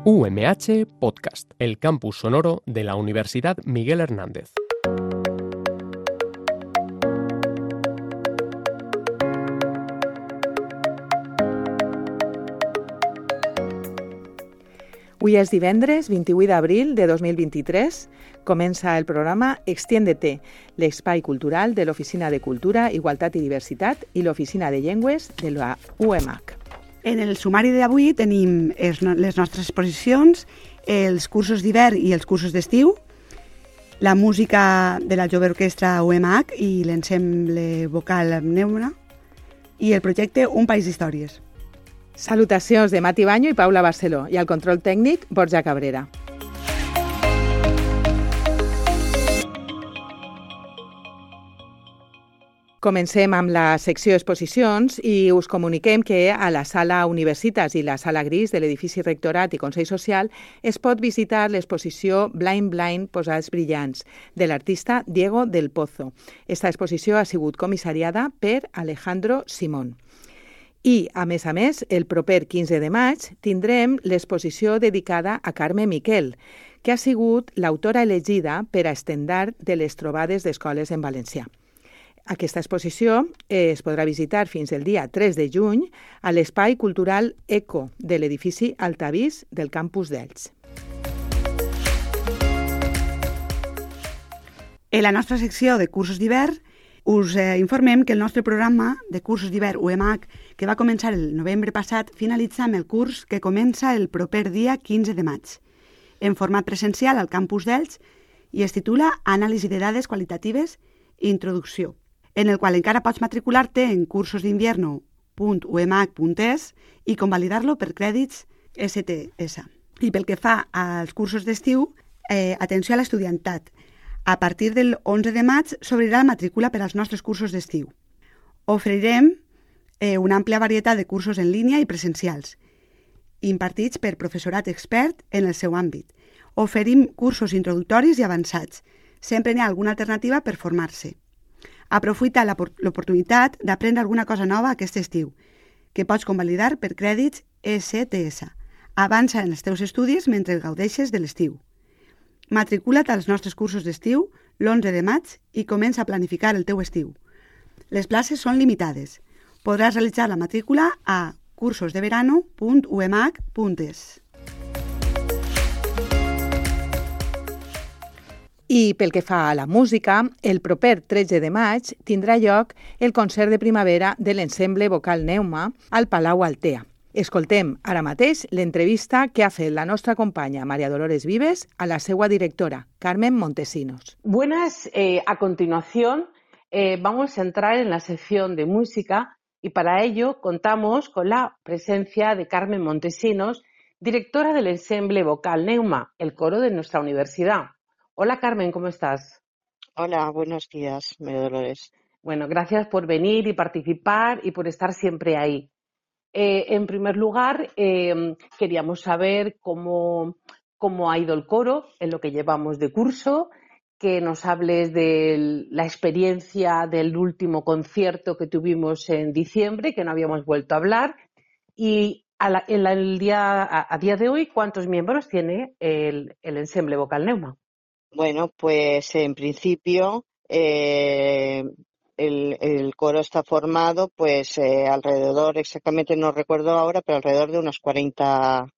UMH Podcast, el campus sonoro de la Universidad Miguel Hernández. Avui és divendres 28 d'abril de 2023. Comença el programa Extiéndete, l'espai cultural de l'Oficina de Cultura, Igualtat i Diversitat i l'Oficina de Llengües de la UMH. En el sumari d'avui tenim les nostres exposicions, els cursos d'hivern i els cursos d'estiu, la música de la jove orquestra UMH i l'ensemble vocal Neuma i el projecte Un País d'Històries. Salutacions de Mati Baño i Paula Barceló i al control tècnic Borja Cabrera. Comencem amb la secció exposicions i us comuniquem que a la sala Universitas i la sala Gris de l'edifici Rectorat i Consell Social es pot visitar l'exposició Blind Blind Posats Brillants de l'artista Diego del Pozo. Esta exposició ha sigut comissariada per Alejandro Simón. I, a més, el proper 15 de maig tindrem l'exposició dedicada a Carme Miquel, que ha sigut l'autora elegida per a estendard de les trobades d'escoles en valencià. Aquesta exposició es podrà visitar fins el dia 3 de juny a l'espai cultural ECO de l'edifici Altavís del campus d'Elx. En la nostra secció de cursos d'hivern us informem que el nostre programa de cursos d'hivern UMH, que va començar el novembre passat, finalitza amb el curs que comença el proper dia 15 de maig, en format presencial al campus d'Elx i es titula Anàlisi de dades qualitatives i introducció, en el qual encara pots matricular-te en cursosinvierno.umh.es i convalidar-lo per crèdits STS. I pel que fa als cursos d'estiu, atenció a l'estudiantat. A partir del 11 de maig s'obrirà la matrícula per als nostres cursos d'estiu. Oferirem una àmplia varietat de cursos en línia i presencials, impartits per professorat expert en el seu àmbit. Oferim cursos introductoris i avançats. Sempre n'hi ha alguna alternativa per formar-se. Aprofita l'oportunitat d'aprendre alguna cosa nova aquest estiu, que pots convalidar per crèdits STS. Avança en els teus estudis mentre gaudeixes de l'estiu. Matricula't als nostres cursos d'estiu l'11 de maig i comença a planificar el teu estiu. Les places són limitades. Podràs realitzar la matrícula a cursosdeverano.umh.es. I pel que fa a la música, el proper 13 de maig tindrà lloc el concert de primavera de l'ensemble vocal Neuma al Palau Altea. Escoltem ara mateix l'entrevista que ha fet la nostra companya María Dolores Vives a la seva directora, Carmen Montesinos. Buenas, a continuación vamos a entrar en la sección de música y para ello contamos con la presencia de Carmen Montesinos, directora del ensemble vocal Neuma, el coro de nuestra universidad. Hola Carmen, ¿cómo estás? Hola, buenos días, María Dolores. Bueno, gracias por venir y participar y por estar siempre ahí. En primer lugar, queríamos saber cómo ha ido el coro en lo que llevamos de curso, que nos hables de la experiencia del último concierto que tuvimos en diciembre, que no habíamos vuelto a hablar, y a día de hoy, ¿cuántos miembros tiene el ensemble vocal Neuma? Bueno, pues en principio el coro está formado pues alrededor, exactamente no recuerdo ahora, pero alrededor de unos 40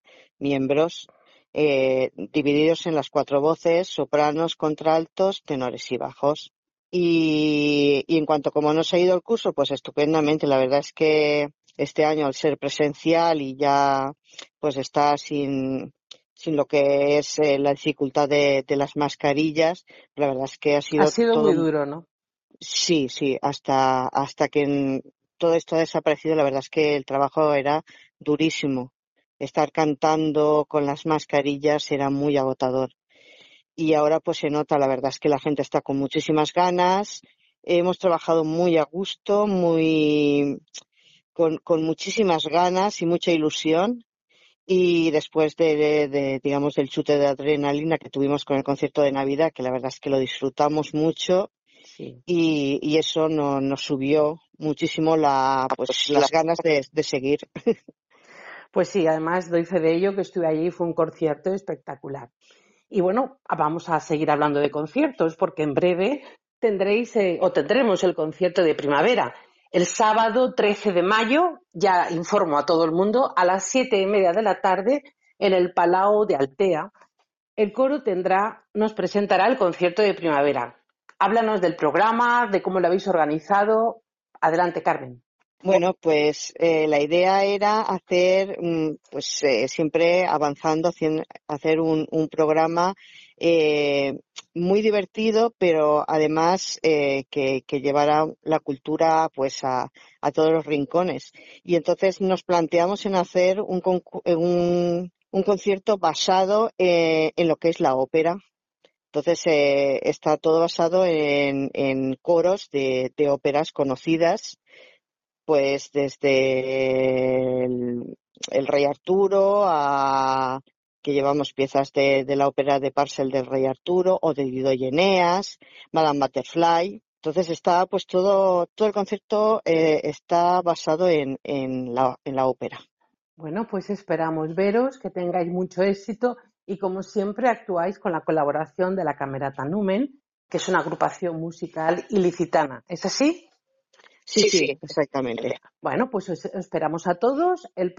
miembros divididos en las 4 voces, sopranos, contraltos, tenores y bajos. Y en cuanto a cómo nos ha ido el curso, pues estupendamente. La verdad es que este año al ser presencial y ya pues está sin lo que es la dificultad de las mascarillas, la verdad es que ha sido todo muy duro, ¿no? Sí, hasta que todo esto ha desaparecido, la verdad es que el trabajo era durísimo. Estar cantando con las mascarillas era muy agotador. Y ahora pues se nota, la verdad es que la gente está con muchísimas ganas. Hemos trabajado muy a gusto, con muchísimas ganas y mucha ilusión. Y después digamos, del chute de adrenalina que tuvimos con el concierto de Navidad, que la verdad es que lo disfrutamos mucho, sí. Y eso nos subió muchísimo las ganas de seguir. Pues sí, además doy fe de ello, que estuve allí y fue un concierto espectacular. Y bueno, vamos a seguir hablando de conciertos porque en breve tendremos el concierto de primavera. El sábado 13 de mayo, ya informo a todo el mundo, a las 7:30 de la tarde en el Palau de Altea, el coro nos presentará el concierto de primavera. Háblanos del programa, de cómo lo habéis organizado. Adelante, Carmen. Bueno, pues la idea era hacer, siempre avanzando, hacer un programa muy divertido, pero además que llevara la cultura pues a todos los rincones. Y entonces nos planteamos en hacer un concierto basado en lo que es la ópera. Entonces está todo basado en coros de óperas conocidas, pues desde el Rey Arturo que llevamos piezas de la ópera de Parcel del Rey Arturo o de Dido y Eneas, Madame Butterfly. Entonces está pues todo el concepto está basado en la ópera. Bueno, pues esperamos veros, que tengáis mucho éxito y como siempre actuáis con la colaboración de la Camerata Numen, que es una agrupación musical ilicitana. ¿Es así? Sí, exactamente. Bueno, pues os esperamos a todos el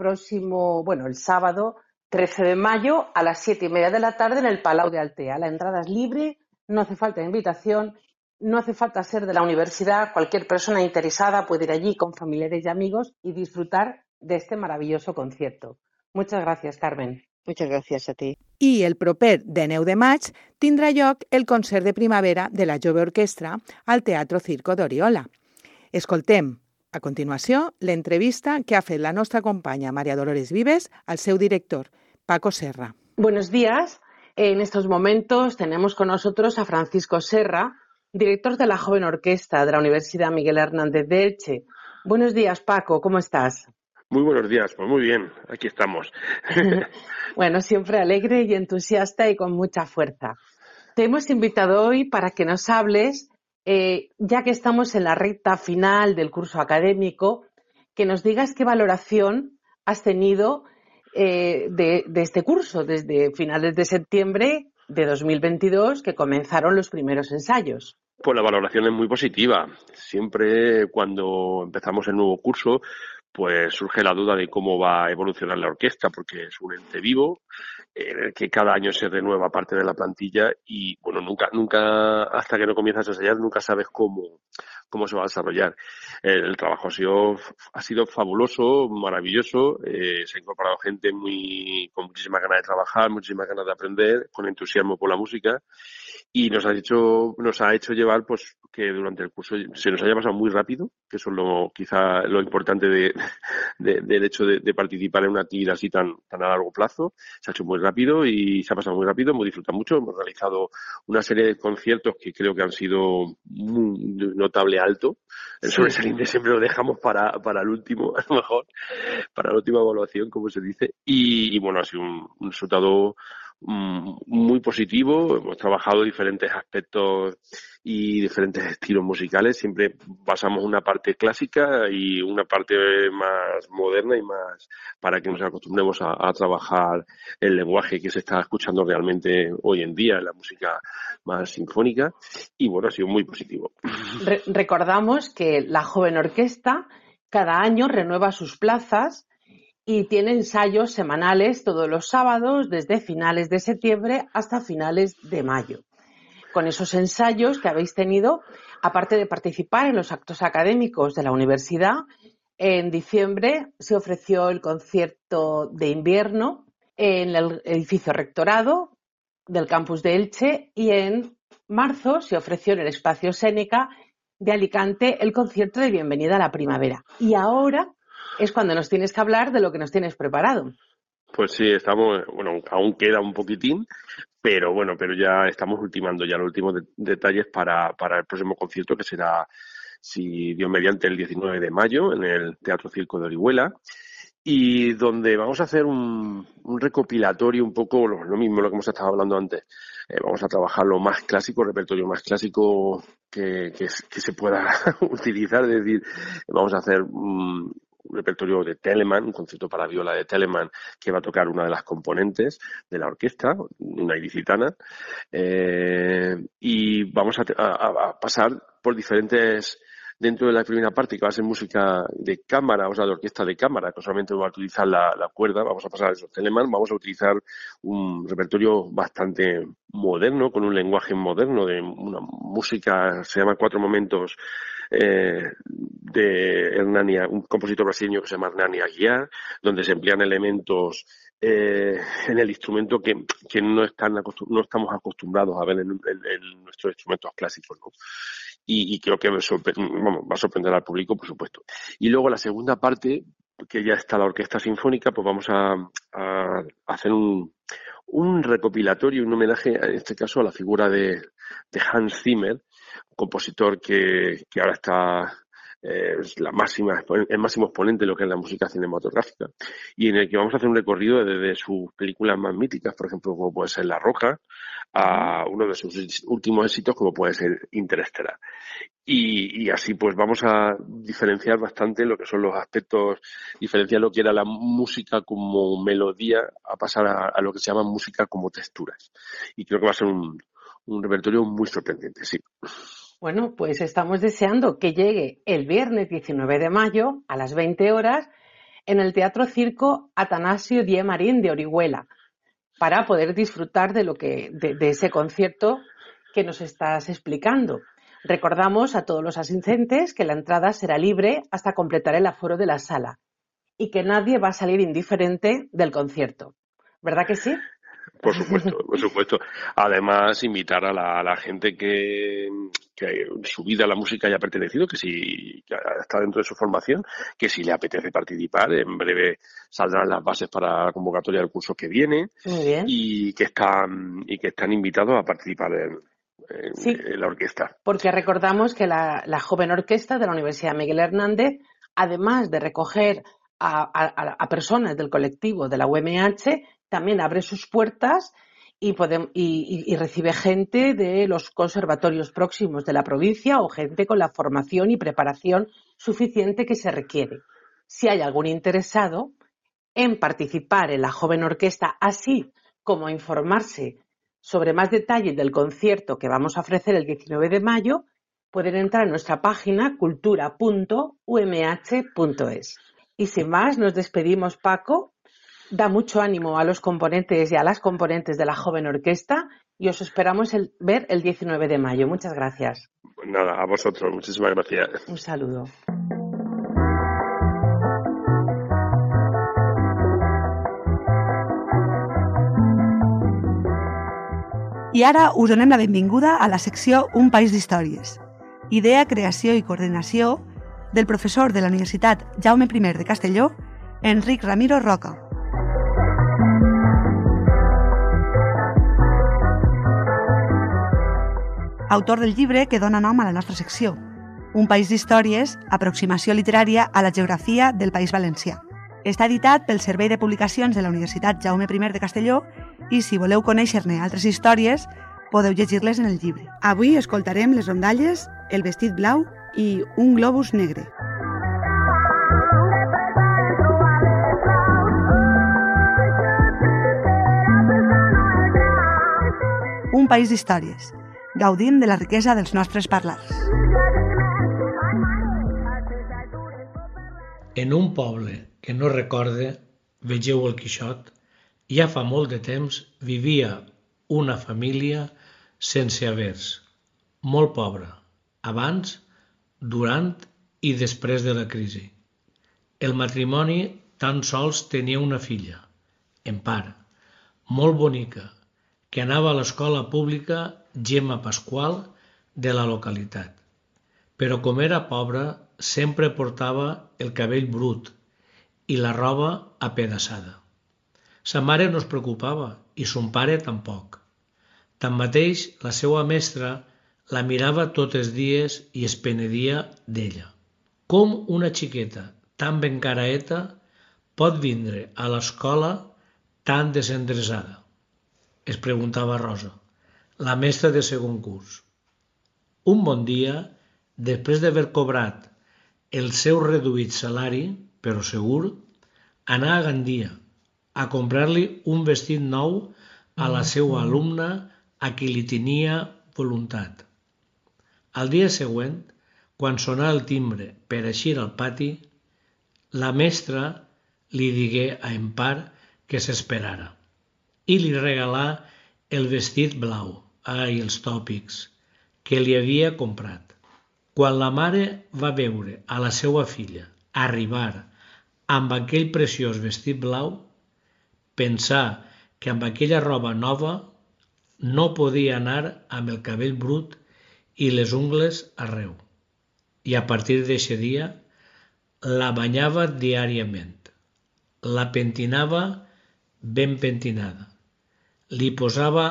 sábado 13 de mayo a las 7:30 de la tarde en el Palau de Altea. La entrada es libre, no hace falta invitación, no hace falta ser de la universidad. Cualquier persona interesada puede ir allí con familiares y amigos y disfrutar de este maravilloso concierto. Muchas gracias, Carmen. Muchas gracias a ti. I el proper 19 de maig tindrà lloc el concert de primavera de la Jove Orquestra al Teatro Circo d'Oriola. Escoltem, a continuació, l'entrevista que ha fet la nostra companya María Dolores Vives al seu director, Paco Serra. Buenos días. En estos momentos tenemos con nosotros a Francisco Serra, director de la Joven Orquesta de la Universidad Miguel Hernández de Elche. Buenos días, Paco, ¿cómo estás? Muy buenos días, pues muy bien, aquí estamos. Bueno, siempre alegre y entusiasta y con mucha fuerza. Te hemos invitado hoy para que nos hables, ya que estamos en la recta final del curso académico, que nos digas qué valoración has tenido de este curso desde finales de septiembre de 2022, que comenzaron los primeros ensayos. Pues la valoración es muy positiva. Siempre cuando empezamos el nuevo curso, pues surge la duda de cómo va a evolucionar la orquesta, porque es un ente vivo, que cada año se renueva parte de la plantilla y, bueno, nunca hasta que no comienzas a ensayar, nunca sabes cómo se va a desarrollar. El trabajo ha sido fabuloso, maravilloso, se ha incorporado gente con muchísimas ganas de trabajar, muchísimas ganas de aprender, con entusiasmo por la música. Y nos ha hecho llevar pues que durante el curso se nos haya pasado muy rápido, que eso es quizá lo importante del hecho de participar en una actividad así tan a largo plazo. Se ha hecho muy rápido y se ha pasado muy rápido, hemos disfrutado mucho, hemos realizado una serie de conciertos que creo que han sido muy notable alto. El sobresaliente siempre lo dejamos para el último, a lo mejor, para la última evaluación, como se dice, y bueno, ha sido un resultado muy positivo. Hemos trabajado diferentes aspectos y diferentes estilos musicales. Siempre pasamos una parte clásica y una parte más moderna y más para que nos acostumbremos a trabajar el lenguaje que se está escuchando realmente hoy en día en la música más sinfónica. Y bueno, ha sido muy positivo. Recordamos que la Joven Orquesta cada año renueva sus plazas y tiene ensayos semanales todos los sábados desde finales de septiembre hasta finales de mayo. Con esos ensayos que habéis tenido, aparte de participar en los actos académicos de la universidad, en diciembre se ofreció el concierto de invierno en el edificio rectorado del campus de Elche y en marzo se ofreció en el espacio Séneca de Alicante el concierto de bienvenida a la primavera. Y ahora es cuando nos tienes que hablar de lo que nos tienes preparado. Pues sí, aún queda un poquitín, pero ya estamos ultimando ya los últimos detalles para el próximo concierto, que será, si Dios mediante, el 19 de mayo en el Teatro Circo de Orihuela, y donde vamos a hacer un recopilatorio un poco, lo mismo lo que hemos estado hablando antes. Vamos a trabajar lo más clásico, el repertorio más clásico que se pueda utilizar, es decir, vamos a hacer repertorio de Telemann, un concierto para viola de Telemann que va a tocar una de las componentes de la orquesta, una ilicitana, y vamos a pasar por diferentes... Dentro de la primera parte, que va a ser música de cámara, o sea, de orquesta de cámara, que solamente va a utilizar la cuerda, vamos a pasar a esos Telemann, vamos a utilizar un repertorio bastante moderno, con un lenguaje moderno, de una música, se llama Cuatro Momentos, de Hernani, un compositor brasileño que se llama Hernani Aguiar, donde se emplean elementos en el instrumento que no estamos acostumbrados a ver en nuestros instrumentos clásicos, ¿no? Y creo que va a sorprender al público, por supuesto. Y luego la segunda parte, que ya está la orquesta sinfónica, pues vamos a hacer un recopilatorio, un homenaje, en este caso, a la figura de Hans Zimmer, un compositor que ahora está es el máximo exponente de lo que es la música cinematográfica, y en el que vamos a hacer un recorrido desde sus películas más míticas, por ejemplo, como puede ser La Roca, a uno de sus últimos éxitos, como puede ser Interestelar. Y así pues vamos a diferenciar bastante lo que son los aspectos, diferenciar lo que era la música como melodía a pasar a lo que se llama música como texturas. Y creo que va a ser un repertorio muy sorprendente, sí. Bueno, pues estamos deseando que llegue el viernes 19 de mayo a las 20 horas en el Teatro Circo Atanasio Die Marín de Orihuela, para poder disfrutar de ese concierto que nos estás explicando. Recordamos a todos los asistentes que la entrada será libre hasta completar el aforo de la sala y que nadie va a salir indiferente del concierto. ¿Verdad que sí? Por supuesto, por supuesto. Además, invitar a la gente que su vida a la música haya pertenecido, que si que está dentro de su formación, que si le apetece participar, en breve saldrán las bases para la convocatoria del curso que viene. Muy bien. Y que están invitados a participar en la orquesta. Porque recordamos que la joven orquesta de la Universidad Miguel Hernández, además de recoger a personas del colectivo de la UMH, también abre sus puertas y recibe gente de los conservatorios próximos de la provincia o gente con la formación y preparación suficiente que se requiere. Si hay algún interesado en participar en la joven orquesta, así como informarse sobre más detalles del concierto que vamos a ofrecer el 19 de mayo, pueden entrar en nuestra página cultura.umh.es. Y sin más, nos despedimos, Paco. Da mucho ánimo a los componentes y a las componentes de la joven orquesta y os esperamos ver el 19 de mayo. Muchas gracias. Nada, a vosotros. Muchísimas gracias. Un saludo. I ara us donem la benvinguda a la secció Un país d'històries. Idea, creació i coordinació del professor de la Universitat Jaume I de Castelló, Enric Ramiro Roca. Autor del llibre que dona nom a la nostra secció, Un país d'històries, aproximació literària a la geografia del País Valencià. Està editat pel Servei de Publicacions de la Universitat Jaume I de Castelló i si voleu conèixer-ne altres històries, podeu llegir-les en el llibre. Avui escoltarem les rondalles, el vestit blau i un globus negre. Un país d'històries. Gaudim de la riquesa dels nostres parlars. En un poble que no recorde, vegeu el Quixot, ja fa molt de temps vivia una família sense havers, molt pobra, abans, durant i després de la crisi. El matrimoni tan sols tenia una filla, Empar, molt bonica, que anava a l'escola pública Gemma Pasqual de la localitat. Però com era pobra, sempre portava el cabell brut i la roba apedaçada. Sa mare no es preocupava i son pare tampoc. Tanmateix, la seva mestra la mirava tots els dies i es penedia d'ella. Com una xiqueta tan ben caraeta pot vindre a l'escola tan desendreçada? Es preguntava Rosa, la mestra de segon curs. Un bon dia, després d'haver cobrat el seu reduït salari, però segur, anar a Gandia a comprar-li un vestit nou a la seva alumna a qui li tenia voluntat. Al dia següent, quan sonà el timbre per eixir al pati, la mestra li digué a en Par que s'esperara i li regalà el vestit blau, els tòpics, que li havia comprat. Quan la mare va veure a la seva filla arribar amb aquell preciós vestit blau, pensà que amb aquella roba nova no podia anar amb el cabell brut i les ungles arreu. I a partir d'aquest dia la banyava diàriament, la pentinava ben pentinada, li posava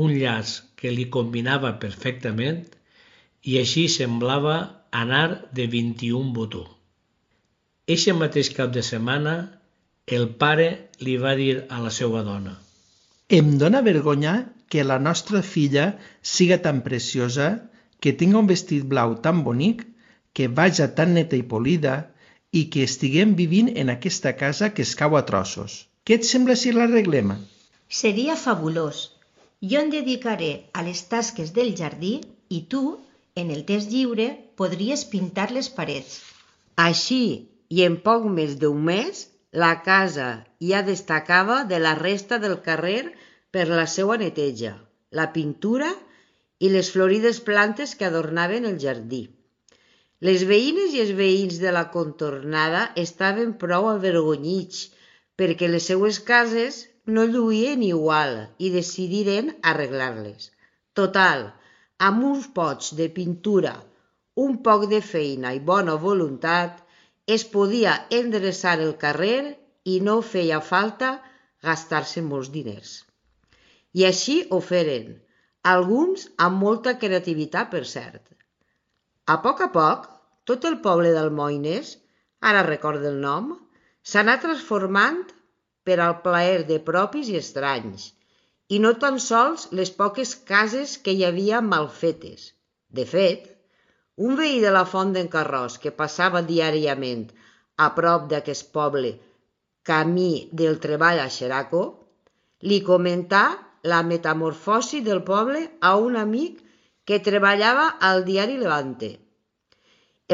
un llaç que li combinava perfectament i així semblava anar de 21 botó. Eixe mateix cap de setmana, el pare li va dir a la seva dona: Em dóna vergonya que la nostra filla siga tan preciosa, que tinga un vestit blau tan bonic, que vaja tan neta i polida i que estiguem vivint en aquesta casa que es cau a trossos. Què et sembla si l'arreglem? Seria fabulós. Jo em dedicaré a les tasques del jardí i tu, en el temps lliure, podries pintar les parets. Així, i en poc més d'un mes, la casa ja destacava de la resta del carrer per la seva neteja, la pintura i les florides plantes que adornaven el jardí. Les veïnes i els veïns de la contornada estaven prou avergonyits perquè les seues cases no lluïen igual i decidiren arreglar-les. Total, amb uns pots de pintura, un poc de feina i bona voluntat, es podia endreçar el carrer i no feia falta gastar-se molts diners. I així ho feren, alguns amb molta creativitat, per cert. A poc, tot el poble d'Almoines, ara recordo el nom, s'anà transformant per al plaer de propis i estranys, i no tan sols les poques cases que hi havia mal fetes. De fet, un veí de la Font d'en Carròs que passava diàriament a prop d'aquest poble, camí del treball a Xeraco, li comentà la metamorfosi del poble a un amic que treballava al diari Levante.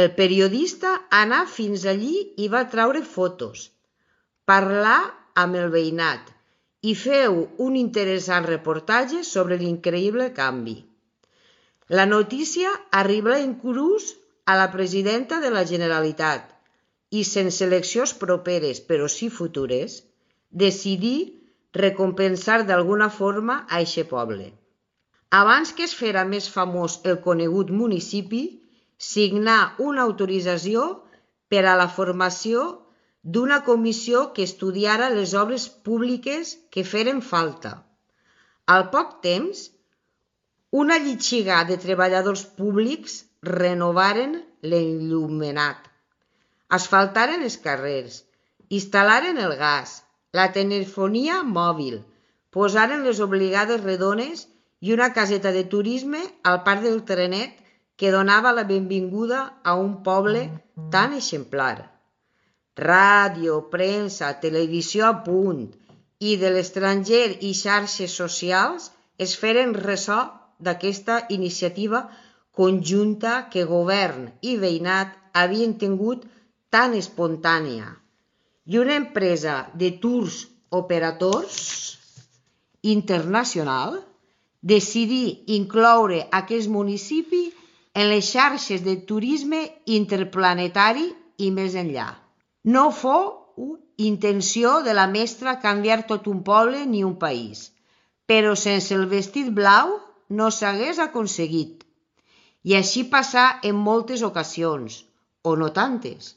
El periodista anà fins allí i va traure fotos, parlar amb el veïnat i feu un interessant reportatge sobre l'increïble canvi. La notícia arriba inclús a la presidenta de la Generalitat i, sense eleccions properes però sí futures, decidí recompensar d'alguna forma a eixe poble. Abans que es fera més famós el conegut municipi, signà una autorització per a la formació d'una comissió que estudiara les obres públiques que feren falta. Al poc temps, una llitxiga de treballadors públics renovaren l'enllumenat, asfaltaren els carrers, instal·laren el gas, la telefonia mòbil, posaren les obligades redones i una caseta de turisme al parc del Trenet que donava la benvinguda a un poble tan exemplar. Ràdio, premsa, televisió a punt i de l'estranger i xarxes socials es feren ressò d'aquesta iniciativa conjunta que govern i veïnat havien tingut tan espontània, i una empresa de tours operadors internacional decidí incloure aquest municipi en les xarxes de turisme interplanetari i més enllà. No fou intenció de la mestra canviar tot un poble ni un país, però sense el vestit blau no s'hagués aconseguit. I així passà en moltes ocasions, o no tantes.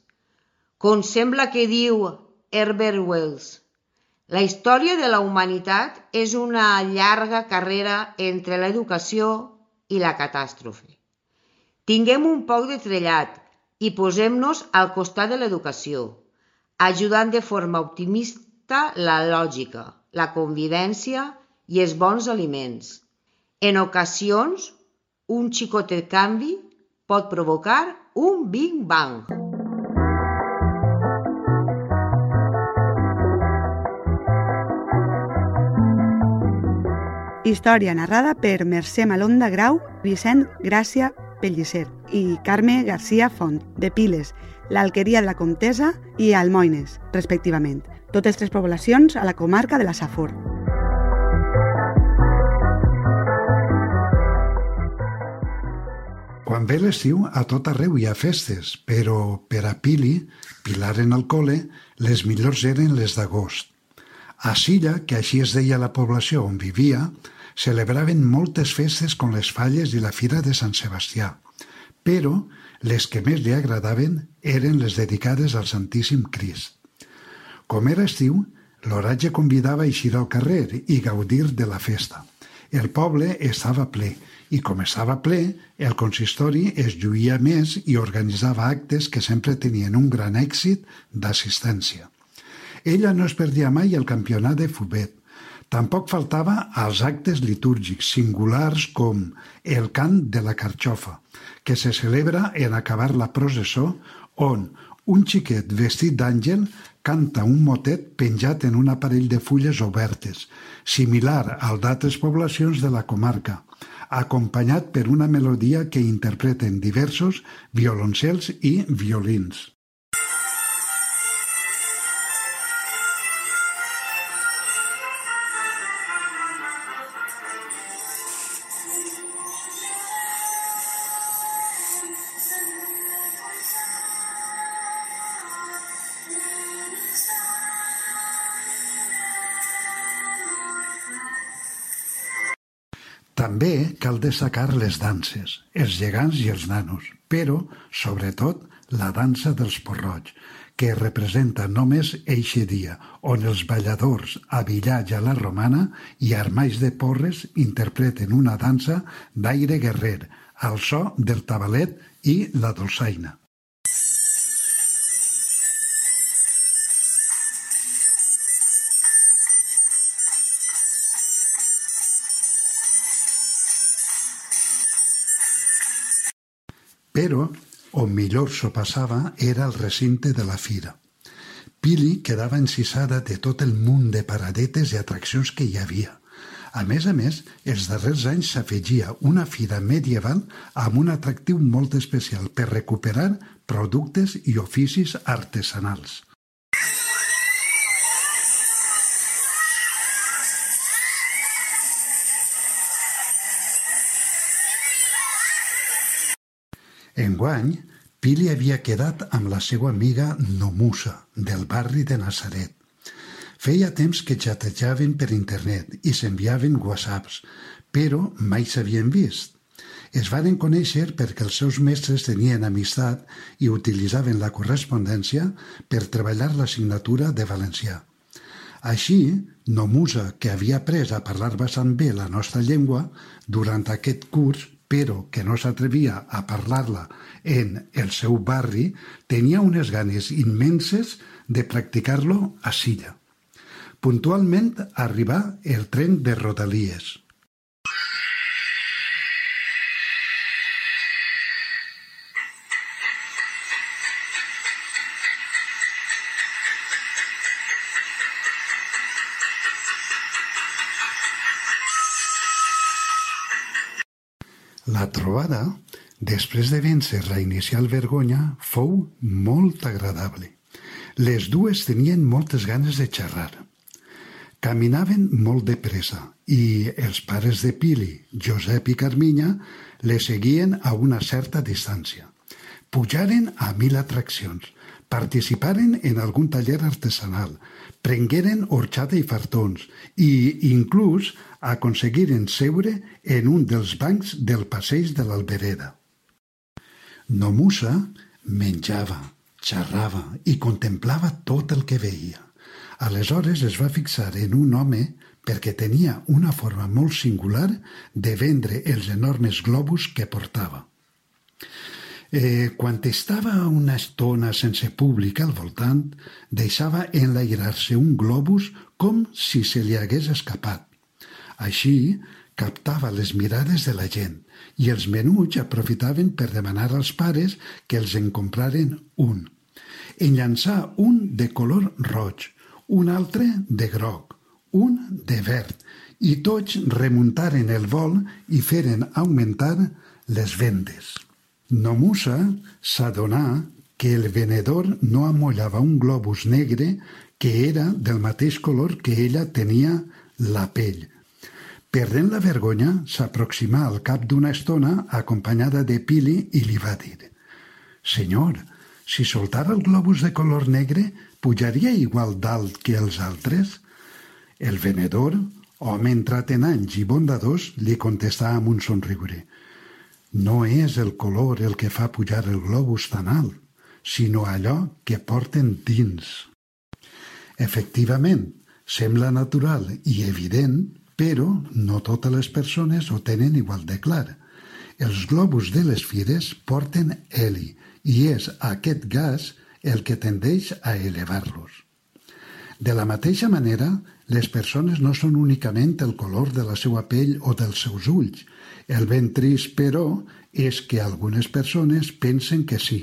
Com sembla que diu Herbert Wells, la història de la humanitat és una llarga carrera entre l'educació i la catàstrofe. Tinguem un poc de trellat i posem-nos al costat de l'educació, ajudant de forma optimista la lògica, la convivència i els bons aliments. En ocasions, un xicotet canvi pot provocar un Big Bang. Història narrada per Mercè Malonda Grau, Vicent Gràcia Pellicer i Carme García Font, de Piles, l'Alqueria de la Comtessa i Almoines, respectivament. Totes 3 poblacions a la comarca de la Safor. Quan ve l'estiu, a tot arreu hi ha festes, però per a Pili, Pilar en el cole, les millors eren les d'agost. A Silla, que així es deia la població on vivia, celebraven moltes festes com les falles i la Fira de Sant Sebastià, però les que més li agradaven eren les dedicades al Santíssim Crist. Com era estiu, l'oratge convidava a eixir al carrer i gaudir de la festa. El poble estava ple, i com estava ple, el consistori es lluïa més i organitzava actes que sempre tenien un gran èxit d'assistència. Ella no es perdia mai el campionat de futbol. Tampoc faltava als actes litúrgics singulars com el cant de la carxofa, que se celebra en acabar la processó, on un xiquet vestit d'àngel canta un motet penjat en un aparell de fulles obertes, similar al d'altres poblacions de la comarca, acompanyat per una melodia que interpreten diversos violoncels i violins. També cal destacar les danses, els gegants i els nanos, però, sobretot, la dansa dels porroig, que representa només eixe dia, on els balladors, abillats a la romana i armats de porres, interpreten una dansa d'aire guerrer, al so del tabalet i la dolçaina. Però on millor s'ho passava era el recinte de la fira. Pili quedava encisada de tot el munt de paradetes i atraccions que hi havia. A més, els darrers anys s'afegia una fira medieval amb un atractiu molt especial per recuperar productes i oficis artesanals. Enguany, Pili havia quedat amb la seva amiga Nomusa, del barri de Nazaret. Feia temps que xatejaven per internet i s'enviaven whatsapps, però mai s'havien vist. Es varen conèixer perquè els seus mestres tenien amistat i utilitzaven la correspondència per treballar l'assignatura de valencià. Així, Nomusa, que havia après a parlar bastant bé la nostra llengua durant aquest curs, però que no s'atrevia a parlar-la en el seu barri, tenia unes ganes immenses de practicar-lo a Silla. Puntualment arribà el tren de Rodalies. La trobada, després de vèncer la inicial vergonya, fou molt agradable. Les dues tenien moltes ganes de xerrar. Caminaven molt de pressa i els pares de Pili, Josep i Carminya, les seguien a una certa distància. Pujaren a 1000 atraccions, participaren en algun taller artesanal, prengueren horchata i fartons i inclús aconseguiren seure en un dels bancs del passeig de l'Albereda. Nomusa menjava, xerrava i contemplava tot el que veia. Aleshores es va fixar en un home perquè tenia una forma molt singular de vendre els enormes globus que portava. Quan estava una estona sense públic al voltant, deixava enlairar-se un globus com si se li hagués escapat. Així, captava les mirades de la gent i els menuts aprofitaven per demanar als pares que els en compraren un. En llançà un de color roig, un altre de groc, un de verd, i tots remuntaren el vol i feren augmentar les vendes. Nomusa s'adonà que el venedor no amollava un globus negre que era del mateix color que ella tenia la pell. Perdent la vergonya, s'aproximà al cap d'una estona acompanyada de Pili i li va dir: «Senyor, si soltara el globus de color negre, pujaria igual dalt que els altres?» El venedor, home entrat en anys i bondadós, li contestà amb un somriure: «No és el color el que fa pujar el globus tan alt, sinó allò que porten dins». Efectivament, sembla natural i evident, però no totes les persones ho tenen igual de clar. Els globus de les fires porten heli i és aquest gas el que tendeix a elevar-los. De la mateixa manera, les persones no són únicament el color de la seva pell o dels seus ulls. El ben trist, però, és que algunes persones pensen que sí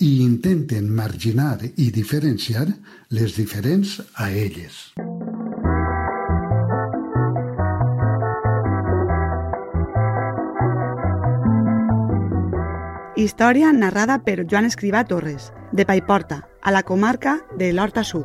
i intenten marginar i diferenciar les diferents a elles. Història narrada per Joan Escrivà Torres, de Paiporta, a la comarca de l'Horta Sud.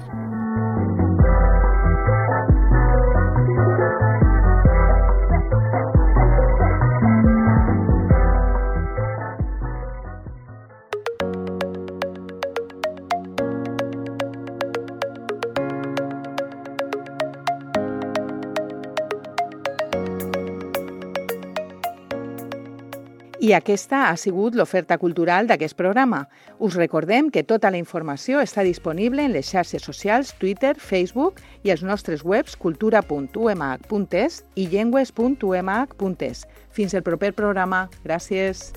I aquesta ha sigut l'oferta cultural d'aquest programa. Us recordem que tota la informació està disponible en les xarxes socials Twitter, Facebook i els nostres webs cultura.umh.es i llengües.umh.es. Fins el proper programa. Gràcies.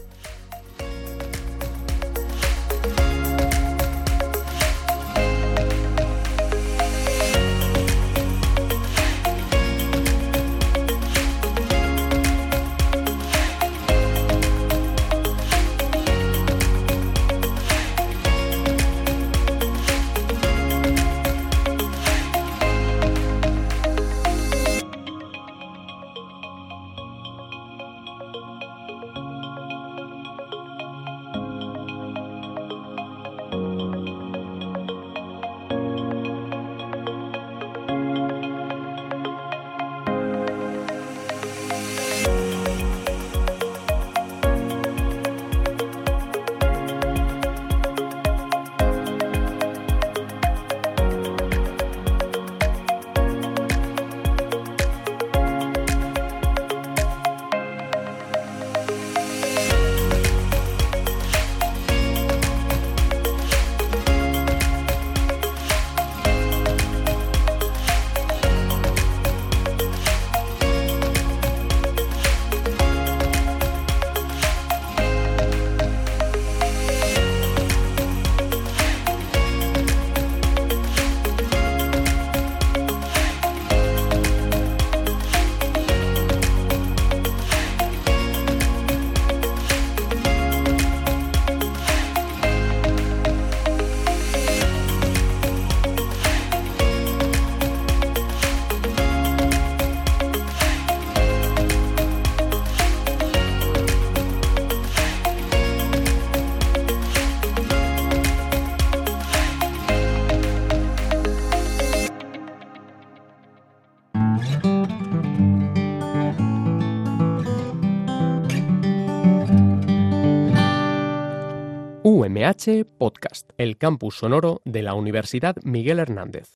UMH Podcast, el campus sonoro de la Universidad Miguel Hernández.